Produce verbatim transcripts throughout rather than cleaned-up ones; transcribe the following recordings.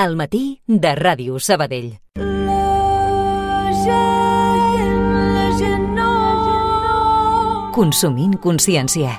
Al matí de Ràdio Sabadell. Consumint consciència.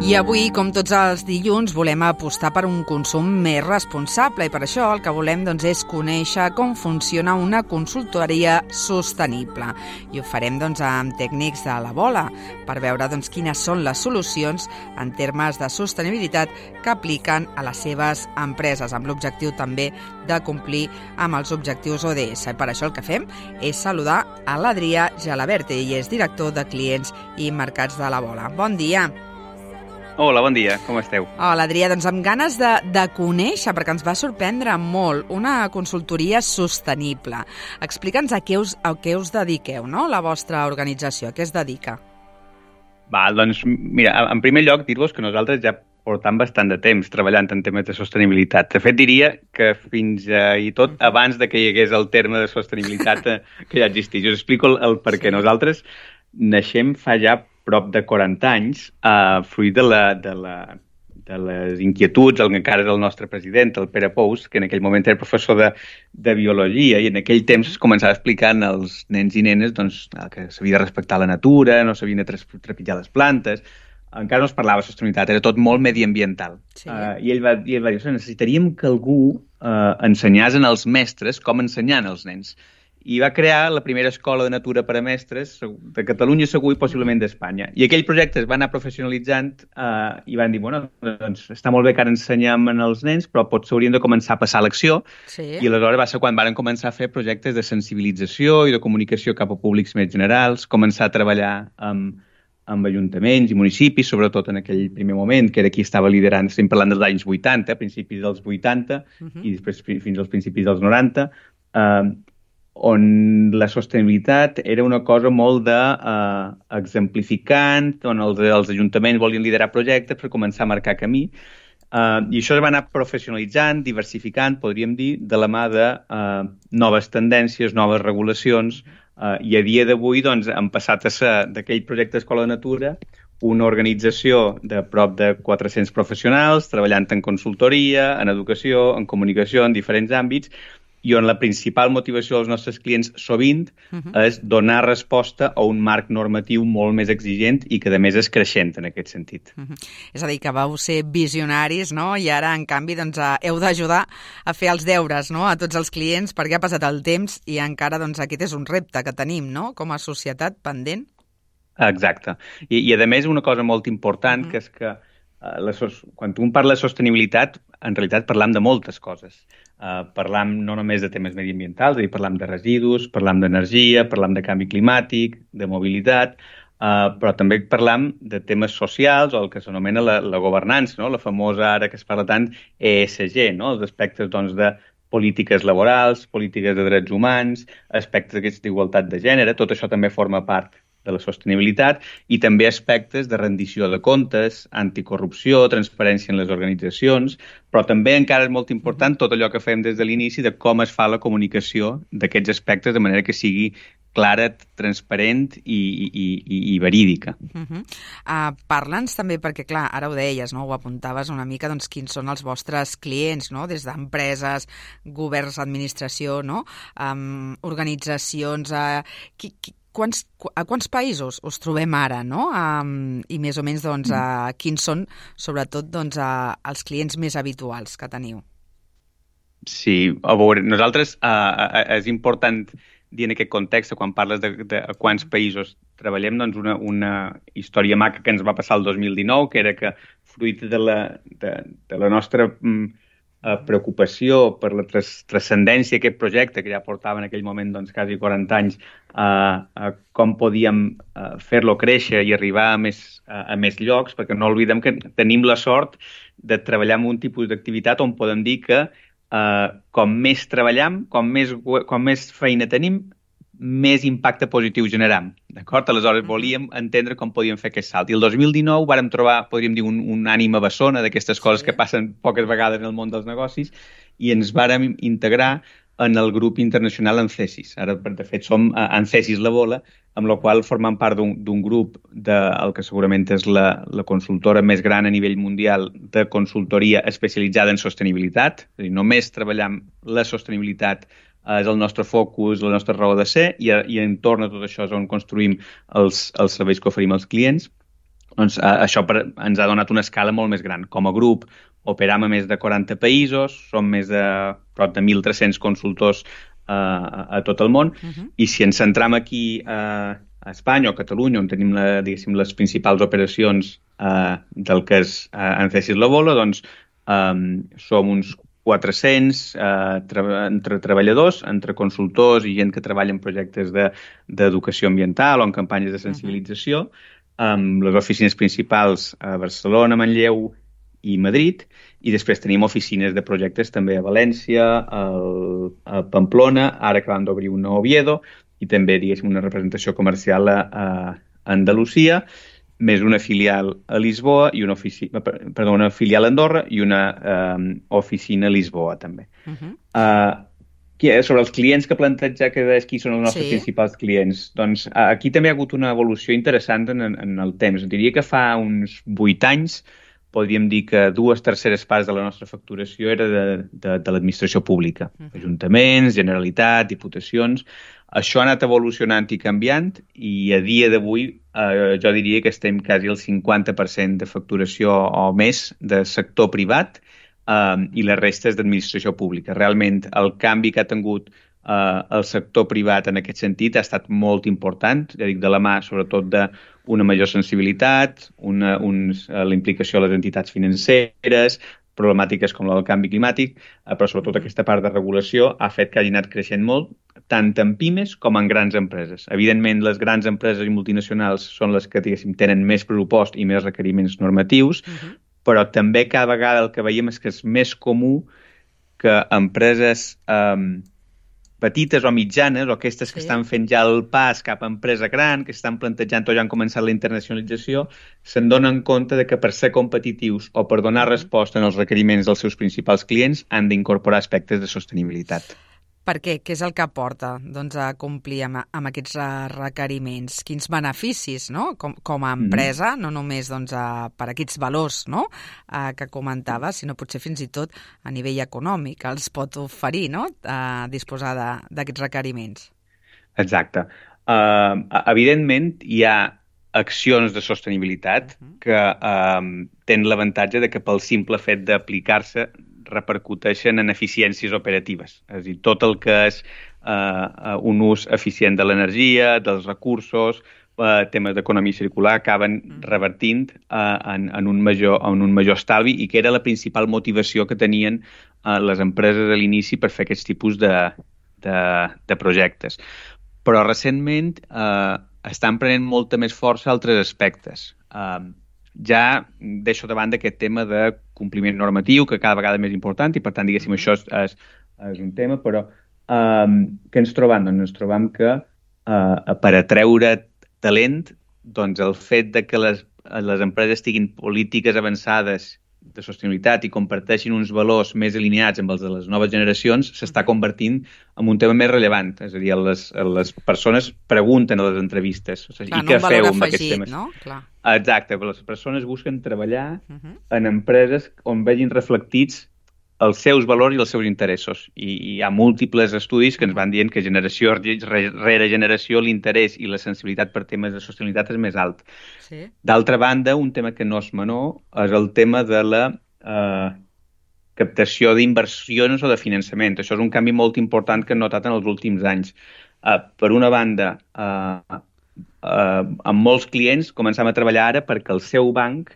I avui, com tots els dilluns, volem apostar per un consum més responsable i per això el que volem doncs, és conèixer com funciona una consultoria sostenible. I ho farem doncs, amb tècnics de la Bola per veure doncs, quines són les solucions en termes de sostenibilitat que apliquen a les seves empreses, amb l'objectiu també de complir amb els objectius O D S. I per això el que fem és saludar a l'Adrià Gelabert, ell és director de clients i mercats de la Bola. Bon dia. Hola, bon dia, com esteu? Hola, Adrià, doncs amb ganes de, de conèixer, perquè ens va sorprendre molt, una consultoria sostenible. Explica'ns a què us, a què us dediqueu, no?, la vostra organització, a què es dedica? Va, doncs, mira, en primer lloc, dir-vos que nosaltres ja portam bastant de temps treballant en temes de sostenibilitat. De fet, diria que fins eh, i tot abans de que hi hagués el terme de sostenibilitat eh, que ja existís. Us explico el, el per què. Nosaltres naixem fa ja prop de quaranta anys, eh, fruit de, la, de, la, de les inquietuds, el que encara és el nostre president, el Pere Pous, que en aquell moment era professor de, de biologia, i en aquell temps es començava explicant als nens i nenes doncs, que s'havia de respectar la natura, no s'havien de trepitjar les plantes, encara no es parlava de sostenibilitat, era tot molt mediambiental. Sí. Uh, I ell va, i ell va dir, necessitaríem que algú uh, ensenyés als mestres com ensenyar als nens. I va crear la primera escola de natura per a mestres de Catalunya, segur, i possiblement d'Espanya. I aquell projecte es va anar professionalitzant eh, i van dir, bueno, doncs està molt bé que ara ensenyem als nens, però potser hauríem de començar a passar a l'acció. Sí. I aleshores va ser quan van començar a fer projectes de sensibilització i de comunicació cap a públics més generals, començar a treballar amb, amb ajuntaments i municipis, sobretot en aquell primer moment, que era qui estava liderant, estem parlant dels anys vuitanta, principis dels vuitanta, uh-huh. i després fins als principis dels noranta, eh, on la sostenibilitat era una cosa molt de, uh, exemplificant, on els, els ajuntaments volien liderar projectes per començar a marcar camí. Uh, I això es va anar professionalitzant, diversificant, podríem dir, de la mà de uh, noves tendències, noves regulacions, uh, i a dia d'avui doncs, han passat a ser d'aquell projecte d'Escola de Natura una organització de prop de quatre-cents professionals, treballant en consultoria, en educació, en comunicació, en diferents àmbits, i on la principal motivació dels nostres clients sovint uh-huh. és donar resposta a un marc normatiu molt més exigent i que, a més, és creixent en aquest sentit. Uh-huh. És a dir, que vau ser visionaris, no? I ara, en canvi, doncs, heu d'ajudar a fer els deures, no?, a tots els clients, perquè ha passat el temps i encara doncs, aquest és un repte que tenim, no?, com a societat pendent. Exacte. I, i a més, una cosa molt important, uh-huh. que és que uh, la sos... quan un parla de sostenibilitat, en realitat parlam de moltes coses. Uh, parlam no només de temes mediambientals, és a dir, parlam de residus, parlam d'energia, parlam de canvi climàtic, de mobilitat, uh, però també parlam de temes socials o el que s'anomena la, la governança, no? La famosa, ara que es parla tant, E S G, no? Els aspectes doncs, de polítiques laborals, polítiques de drets humans, aspectes d'igualtat de gènere, tot això també forma part de la sostenibilitat, i també aspectes de rendició de comptes, anticorrupció, transparència en les organitzacions, però també encara és molt important tot allò que fem des de l'inici de com es fa la comunicació d'aquests aspectes de manera que sigui clara, transparent i, i, i, i verídica. Uh-huh. Uh, Parla'ns també, perquè clar, ara ho deies, no? Ho apuntaves una mica, doncs quins són els vostres clients, no? Des d'empreses, governs, administració, no? Um, organitzacions... Uh, qui, qui, Quants, a quants països us trobem ara, no? Um, I més o menys, doncs, uh, quins són, sobretot, doncs, uh, els clients més habituals que teniu? Sí, a veure, nosaltres uh, és important dir en aquest context, quan parles de, de quants països treballem, doncs una, una història maca que ens va passar el dos mil dinou, que era que, fruit de la, de, de la nostra... Um, Uh, preocupació per la tras- transcendència d'aquest projecte, que ja portava en aquell moment doncs, quasi quaranta anys, uh, uh, com podíem uh, fer-lo créixer i arribar a més, uh, a més llocs, perquè no oblidem que tenim la sort de treballar en un tipus d'activitat on podem dir que uh, com més treballam, com més, com més feina tenim, més impacte positiu generam. D'acord? Aleshores, volíem entendre com podíem fer aquest salt. I el dos mil dinou vàrem trobar, podríem dir, un, un ànima bessona d'aquestes coses sí. que passen poques vegades en el món dels negocis, i ens vàrem integrar en el grup internacional ANCESIS. Ara, de fet, som ANCESIS La Bola, amb la qual formem part d'un grup del que segurament és la, la consultora més gran a nivell mundial de consultoria especialitzada en sostenibilitat. És a dir, només treballam la sostenibilitat, és el nostre focus, la nostra raó de ser, i, i entorn a tot això és on construïm els, els serveis que oferim als clients. Doncs eh, això per, ens ha donat una escala molt més gran. Com a grup operam a més de quaranta països, som més de prop de mil tres-cents consultors eh, a, a tot el món, uh-huh. I si ens centram aquí eh, a Espanya o a Catalunya, on tenim la, diguéssim, les principals operacions eh, del que és eh, ANCESIS La Bola, doncs eh, som uns quatre-cents eh, tra- entre treballadors, entre consultors i gent que treballa en projectes d'educació de, ambiental o en campanyes de sensibilització, amb les oficines principals a Barcelona, Manlleu i Madrid, i després tenim oficines de projectes també a València, al, a Pamplona, ara acabem d'obrir una a Oviedo, i també, diguéssim, una representació comercial a, a Andalusia, més una filial a Lisboa, i una, oficina, perdó, una filial a Andorra i una um, oficina a Lisboa, també. Uh-huh. Uh, sobre els clients que planteja que és qui són els nostres sí. principals clients, doncs aquí també ha hagut una evolució interessant en, en el temps. Diria que fa uns vuit anys podríem dir que dues terceres parts de la nostra facturació era de, de, de l'administració pública. Uh-huh. Ajuntaments, Generalitat, Diputacions. Això ha anat evolucionant i canviant, i a dia d'avui eh, jo diria que estem quasi al cinquanta per cent de facturació o més de sector privat, Uh, i la resta és d'administració pública. Realment, el canvi que ha tingut uh, el sector privat en aquest sentit ha estat molt important, ja dic, de la mà, sobretot, d'una major sensibilitat, una, uns, uh, la implicació de les entitats financeres, problemàtiques com la del canvi climàtic, uh, però sobretot aquesta part de regulació ha fet que hagi anat creixent molt, tant en pimes com en grans empreses. Evidentment, les grans empreses i multinacionals són les que, diguéssim, tenen més pressupost i més requeriments normatius, uh-huh. però també cada vegada el que veiem és que és més comú que empreses um, petites o mitjanes, o aquestes sí. que estan fent ja el pas cap a empresa gran, que estan plantejant o ja han començat la internacionalització, se'n donen compte de que per ser competitius o per donar resposta als requeriments dels seus principals clients han d'incorporar aspectes de sostenibilitat. Per què? Què és el que porta doncs, a complir amb, amb aquests requeriments? Quins beneficis, no? Com, com a empresa, mm. no només doncs, a, per aquests valors, no? a, que comentava, sinó potser fins i tot a nivell econòmic els pot oferir, no? a disposar d'aquests requeriments. Exacte. Uh, evidentment, hi ha accions de sostenibilitat uh-huh. que uh, tenen l'avantatge de que pel simple fet d'aplicar-se repercuteixen en eficiències operatives. És a dir, tot el que és uh, un ús eficient de l'energia, dels recursos, uh, temes d'economia circular, acaben revertint uh, en, en, un major, en un major estalvi, i que era la principal motivació que tenien uh, les empreses a l'inici per fer aquests tipus de, de, de projectes. Però recentment uh, estan prenent molta més força altres aspectes. Uh, ja deixo de banda aquest tema de compliment normatiu, que cada vegada és més important, i per tant, diguéssim, això és, és, és un tema, però um, què ens trobam? Doncs ens trobam que uh, per atreure talent, doncs el fet de que les, les empreses tinguin polítiques avançades de sostenibilitat i comparteixin uns valors més alineats amb els de les noves generacions s'està convertint en un tema més rellevant. És a dir, les, les persones pregunten a les entrevistes. O sigui, clar, i què no feu amb afegit, aquests temes? No? Clar. Exacte, però les persones busquen treballar uh-huh. en empreses on vegin reflectits els seus valors i els seus interessos. I, i hi ha múltiples estudis que ens van dient que generació rere generació l'interès i la sensibilitat per temes de sostenibilitat és més alt. Sí. D'altra banda, un tema que no és menor és el tema de la eh, captació d'inversions o de finançament. Això és un canvi molt important que hem notat en els últims anys. Eh, per una banda, eh, eh, amb molts clients començam a treballar ara perquè el seu banc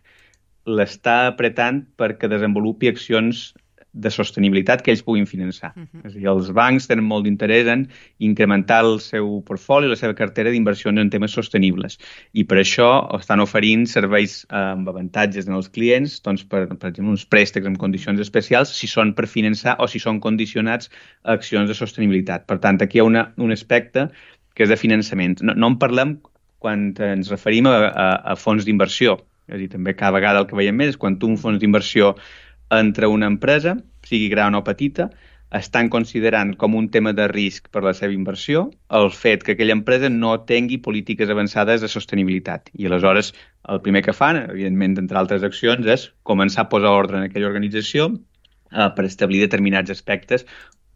l'està apretant perquè desenvolupi accions de sostenibilitat que ells puguin finançar. Uh-huh. És a dir, els bancs tenen molt d'interès en incrementar el seu portfoli, la seva cartera d'inversions en temes sostenibles. I per això estan oferint serveis eh, amb avantatges en els clients, doncs per, per exemple, uns préstecs amb condicions especials, si són per finançar o si són condicionats a accions de sostenibilitat. Per tant, aquí hi ha una, un aspecte que és de finançament. No, no en parlem quan ens referim a, a, a fons d'inversió. És a dir, també cada vegada el que veiem més és quan tu un fons d'inversió entre una empresa, sigui gran o petita, estan considerant com un tema de risc per la seva inversió el fet que aquella empresa no tingui polítiques avançades de sostenibilitat. I aleshores el primer que fan, evidentment, entre altres accions, és començar a posar ordre en aquella organització eh, per establir determinats aspectes,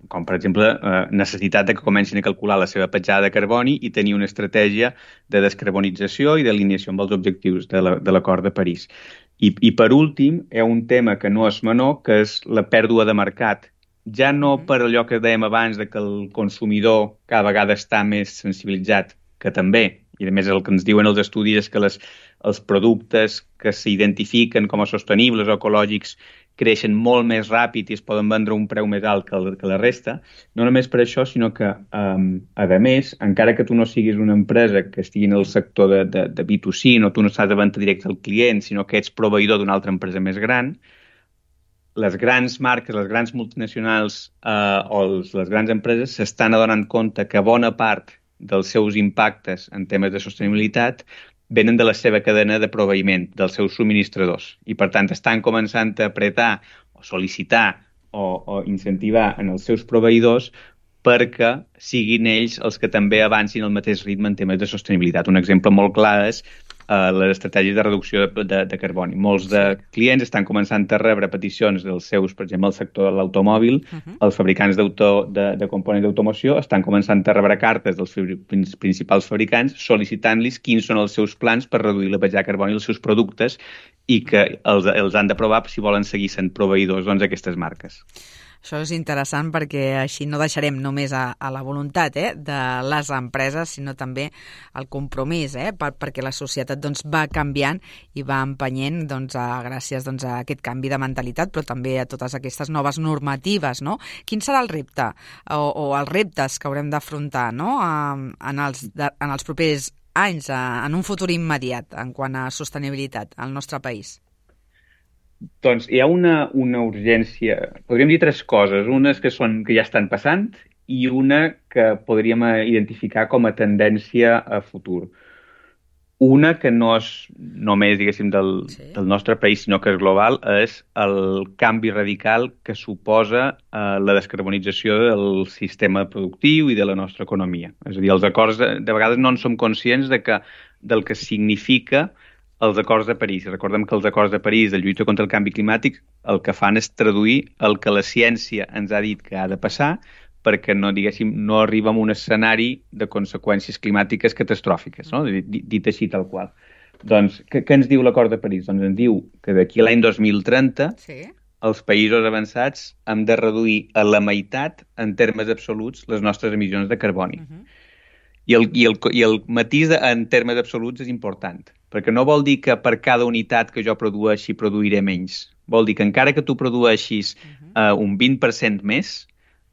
com per exemple eh, necessitat de que comencin a calcular la seva petjada de carboni i tenir una estratègia de descarbonització i d'alineació amb els objectius de la, de l'acord de París. I, I per últim, hi ha un tema que no és menor, que és la pèrdua de mercat. Ja no per allò que dèiem abans de que el consumidor cada vegada està més sensibilitzat, que també, i a més el que ens diuen els estudis és que les, els productes que s'identifiquen com a sostenibles o ecològics creixen molt més ràpid i es poden vendre a un preu més alt que, el, que la resta. No només per això, sinó que, um, a més, encara que tu no siguis una empresa que estigui en el sector de, de, de B dos C, no tu no estàs de venda directa al client, sinó que ets proveïdor d'una altra empresa més gran, les grans marques, les grans multinacionals eh, o els, les grans empreses s'estan adonant compte que bona part dels seus impactes en temes de sostenibilitat venen de la seva cadena de proveïment, dels seus subministradors. I, per tant, estan començant a apretar o sol·licitar o, o incentivar en els seus proveïdors perquè siguin ells els que també avancin al mateix ritme en temes de sostenibilitat. Un exemple molt clar és Uh, les estratègies de reducció de, de, de carboni. Molts de clients estan començant a rebre peticions dels seus, per exemple, el sector de l'automòbil, uh-huh. els fabricants d'auto, de, de components d'automoció estan començant a rebre cartes dels principals fabricants sol·licitant-los quins són els seus plans per reduir la petjada de carboni dels seus productes i que els, els han d'aprovar si volen seguir sent proveïdors doncs, d'aquestes marques. Això és interessant perquè així no deixarem només a, a la voluntat eh, de les empreses, sinó també el compromís, eh, per, perquè la societat doncs, va canviant i va empenyent doncs, a, gràcies doncs, a aquest canvi de mentalitat, però també a totes aquestes noves normatives. No? Quin serà el repte o, o els reptes que haurem d'afrontar no? en, els, de, en els propers anys, en un futur immediat, en quant a sostenibilitat al nostre país? Doncs hi ha una, una urgència, podríem dir tres coses, unes que, són, que ja estan passant i una que podríem identificar com a tendència a futur. Una que no és només, diguéssim, del, sí. del nostre país, sinó que és global, és el canvi radical que suposa eh, la descarbonització del sistema productiu i de la nostra economia. És a dir, els acords, de, de vegades no en som conscients de que, del que significa els acords de París. Recordem que els acords de París de lluita contra el canvi climàtic el que fan és traduir el que la ciència ens ha dit que ha de passar perquè no, diguéssim, no arriba a un escenari de conseqüències climàtiques catastròfiques, no? dit, dit així tal qual. Doncs, què, què ens diu l'acord de París? Doncs ens diu que d'aquí a l'any dos mil trenta sí. els països avançats hem de reduir a la meitat en termes absoluts les nostres emissions de carboni. Uh-huh. I el, i, el, I el matís de, en termes absoluts és important, perquè no vol dir que per cada unitat que jo produeixi produiré menys. Vol dir que encara que tu produeixis uh-huh. uh, un vint per cent més,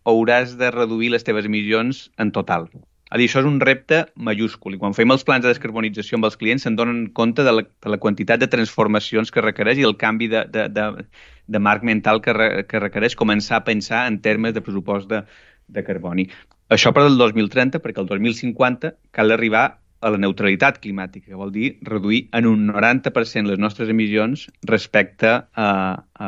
hauràs de reduir les teves emissions en total. A dir, això és un repte majúscul i quan fem els plans de descarbonització amb els clients se'n donen compte de la, de la quantitat de transformacions que requereix i el canvi de, de, de, de marc mental que, re, que requereix començar a pensar en termes de pressupost de, de carboni. Això per al dos mil trenta, perquè el dos mil cinquanta cal arribar a la neutralitat climàtica, que vol dir reduir en un noranta per cent les nostres emissions respecte a, a,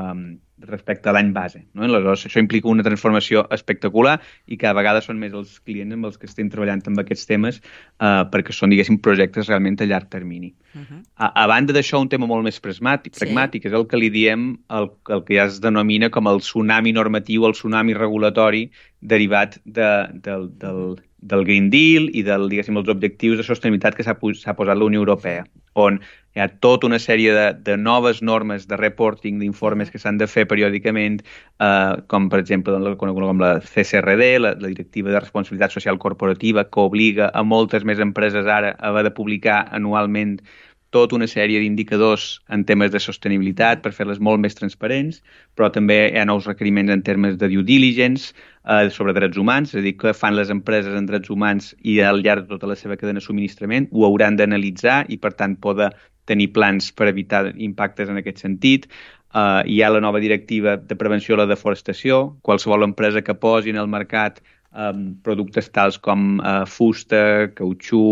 respecte a l'any base. No? Aleshores, això implica una transformació espectacular i cada vegada són més els clients amb els que estem treballant amb aquests temes eh, perquè són, diguéssim, projectes realment a llarg termini. Uh-huh. A, a banda d'això, un tema molt més pragmàtic, sí. pragmàtic és el que li diem el, el que ja es denomina com el tsunami normatiu, el tsunami regulatori derivat de, del, del, del Green Deal i del, diguéssim, els objectius de sostenibilitat que s'ha, s'ha posat la Unió Europea, on hi ha tota una sèrie de, de noves normes de reporting, d'informes que s'han de fer periòdicament, eh, com per exemple la, com la C S R D, la, la Directiva de Responsabilitat Social Corporativa, que obliga a moltes més empreses ara a haver de publicar anualment tota una sèrie d'indicadors en temes de sostenibilitat per fer-les molt més transparents, però també hi ha nous requeriments en termes de due diligence, eh, sobre drets humans, és a dir, què fan les empreses en drets humans i al llarg de tota la seva cadena de subministrament, ho hauran d'analitzar i, per tant, poder tenir plans per evitar impactes en aquest sentit. Uh, hi ha la nova directiva de prevenció de la deforestació. Qualsevol empresa que posi en el mercat um, productes tals com uh, fusta, cautxú,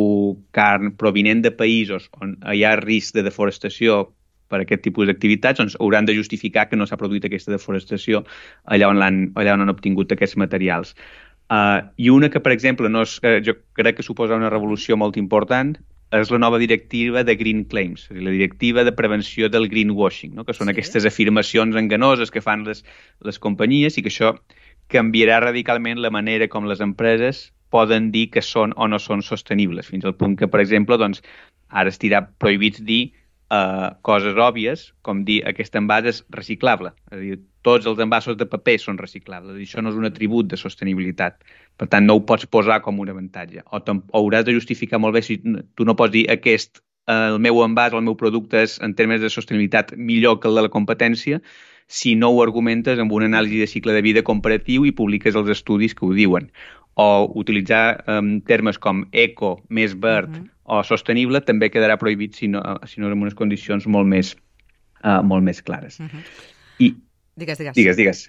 carn, provinent de països on hi ha risc de deforestació per aquest tipus d'activitats, doncs hauran de justificar que no s'ha produït aquesta deforestació allà on, l'han, allà on han obtingut aquests materials. Uh, I una que, per exemple, no és, uh, jo crec que suposa una revolució molt important, és la nova directiva de Green Claims, és a dir, la directiva de prevenció del greenwashing, no? Que són sí. aquestes afirmacions enganoses que fan les, les companyies i que això canviarà radicalment la manera com les empreses poden dir que són o no són sostenibles, fins al punt que, per exemple, doncs, ara estirà prohibit dir uh, coses òbvies, com dir aquest envàs és reciclable. És a dir, tots els envasos de paper són reciclables. Això no és un atribut de sostenibilitat. Per tant, no ho pots posar com un avantatge. O, o hauràs de justificar molt bé si tu no pots dir aquest, el meu envàs, el meu producte és, en termes de sostenibilitat, millor que el de la competència, si no ho argumentes amb una anàlisi de cicle de vida comparatiu i publiques els estudis que ho diuen. O utilitzar um, termes com eco, més verd uh-huh. o sostenible també quedarà prohibit si no, si no en unes condicions molt més, uh, molt més clares. Uh-huh. I Digues, digues. Digues, digues.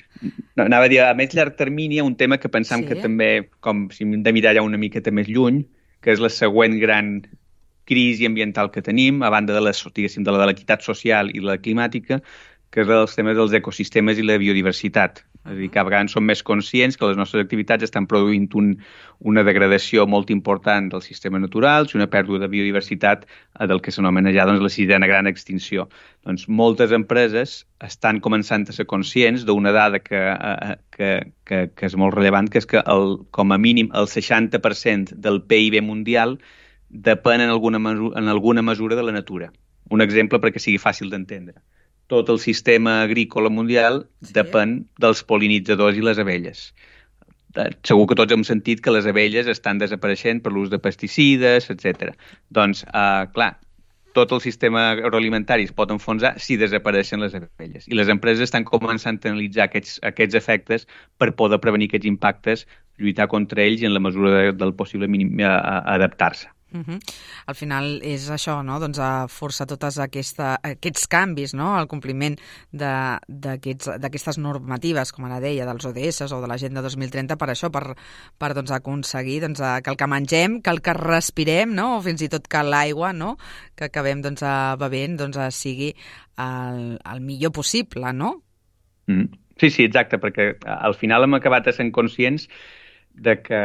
No, anava a dir, a més llarg termini, un tema que pensam sí. que també, com si hem de mirar ja una miqueta més lluny, que és la següent gran crisi ambiental que tenim, a banda de la, diguéssim, de la de l'equitat social i la climàtica, que és els temes dels ecosistemes i la biodiversitat. És a dir, que a vegades som més conscients que les nostres activitats estan produint un, una degradació molt important dels sistemes naturals i una pèrdua de biodiversitat del que s'anomena ja doncs, la sisena gran extinció. Doncs moltes empreses estan començant a ser conscients d'una dada que, que, que, que és molt rellevant, que és que el, com a mínim el seixanta per cent del P I B mundial depèn en alguna, mesura, en alguna mesura de la natura. Un exemple perquè sigui fàcil d'entendre. Tot el sistema agrícola mundial sí. depèn dels pol·linitzadors i les abelles. Segur que tots hem sentit que les abelles estan desapareixent per l'ús de pesticides, etcètera. Doncs, eh, clar, tot el sistema agroalimentari es pot enfonsar si desapareixen les abelles. I les empreses estan començant a analitzar aquests, aquests efectes per poder prevenir aquests impactes, lluitar contra ells i en la mesura de, del possible mínim a, a adaptar-se. Uh-huh. Al final és això, no? Doncs a forçar tots aquesta, aquests canvis, no? El compliment d'aquestes normatives, com ara deia, dels O D S o de l'Agenda dos mil trenta, per això, per, per doncs, aconseguir doncs, que el que mengem, que el que respirem, no? O fins i tot que l'aigua, no? Que acabem doncs, bevent doncs, sigui el, el millor possible, no? Mm. Sí, sí, exacte, perquè al final hem acabat sent conscients de que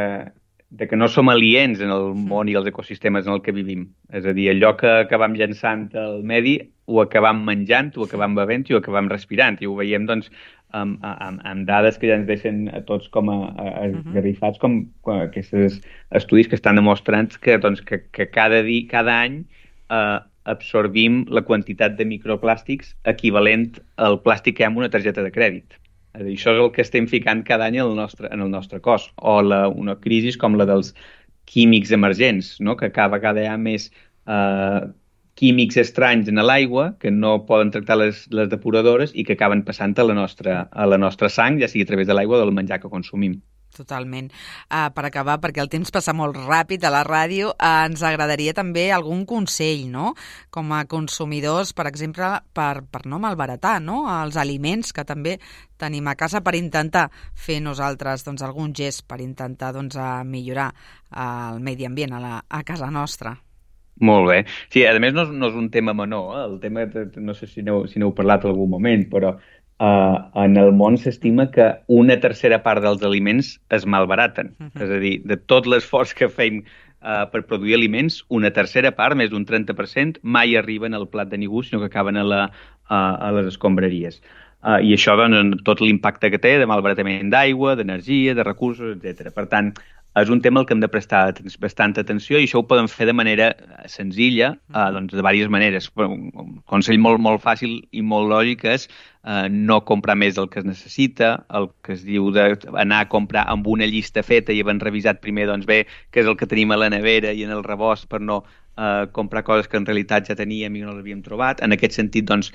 de que no som aliens en el món i els ecosistemes en el que vivim. És a dir, allò que acabam llançant al medi ho acabam menjant, ho acabam bevent i ho acabam respirant. I ho veiem, doncs, amb, amb, amb dades que ja ens deixen a tots com a, a esgarrifats, com, com aquests estudis que estan demostrant que, doncs, que, que cada, dia, cada any eh, absorbim la quantitat de microplàstics equivalent al plàstic que hi ha en una targeta de crèdit. Això és el que estem ficant cada any en el nostre, en el nostre cos. O la, una crisi com la dels químics emergents, no? Que cada vegada hi ha més eh, químics estranys en l'aigua que no poden tractar les, les depuradores i que acaben passant a la nostra, a la nostra sang, ja sigui a través de l'aigua o del menjar que consumim. Totalment. Uh, per acabar, perquè el temps passa molt ràpid a la ràdio, uh, ens agradaria també algun consell, no? Com a consumidors, per exemple, per, per no malbaratar, no? Els aliments que també tenim a casa per intentar fer nosaltres doncs, algun gest per intentar doncs, millorar el medi ambient a, la, a casa nostra. Molt bé. Sí, a més no és, no és un tema menor, eh? El tema, no sé si n'heu, si n'heu parlat en algun moment, però Uh, en el món s'estima que una tercera part dels aliments es malbaraten. Uh-huh. És a dir, de tot l'esforç que fem uh, per produir aliments, una tercera part, més d'un trenta per cent, mai arriben al plat de ningú, sinó que acaben a, la, uh, a les escombraries. Uh, I això, doncs, tot l'impacte que té de malbaratament d'aigua, d'energia, de recursos, etcètera. Per tant, és un tema al que hem de prestar bastanta atenció i això ho podem fer de manera senzilla, uh, doncs de diverses maneres. Un consell molt, molt fàcil i molt lògic és uh, no comprar més del que es necessita, el que es diu d'anar a comprar amb una llista feta i havent revisat primer doncs, bé què és el que tenim a la nevera i en el rebost per no uh, comprar coses que en realitat ja teníem i no les havíem trobat. En aquest sentit, doncs,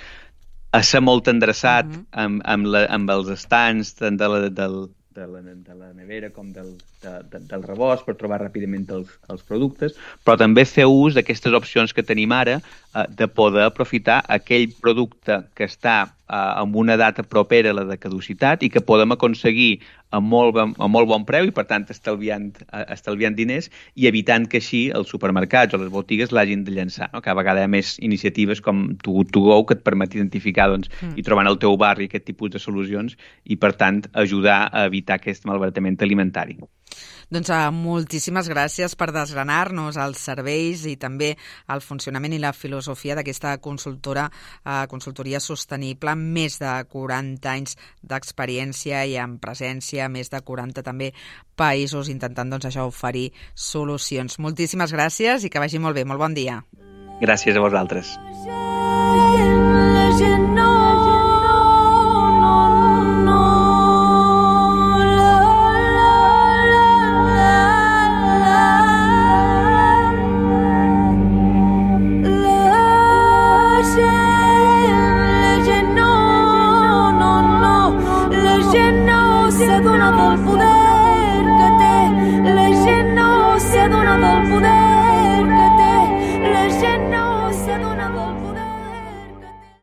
a ser molt endreçat uh-huh. amb, amb, la, amb els estants tant de la, del de la, de la nevera com del, de, de, del rebost per trobar ràpidament els, els productes, però també fer ús d'aquestes opcions que tenim ara eh, de poder aprofitar aquell producte que està amb una data propera a la de caducitat i que podem aconseguir a molt, a molt bon preu i, per tant, estalviant, estalviant diners i evitant que així els supermercats o les botigues l'hagin de llançar. No? Cada vegada hi ha més iniciatives com Too Good To Go que et permet identificar doncs, mm. i trobar en el teu barri aquest tipus de solucions i, per tant, ajudar a evitar aquest malbaratament alimentari. Doncs uh, moltíssimes gràcies per desgranar-nos els serveis i també el funcionament i la filosofia d'aquesta consultora, uh, consultoria sostenible, amb més de quaranta anys d'experiència i amb presència a més de quaranta també països, intentant doncs, això oferir solucions. Moltíssimes gràcies i que vagi molt bé. Molt bon dia. Gràcies a vosaltres.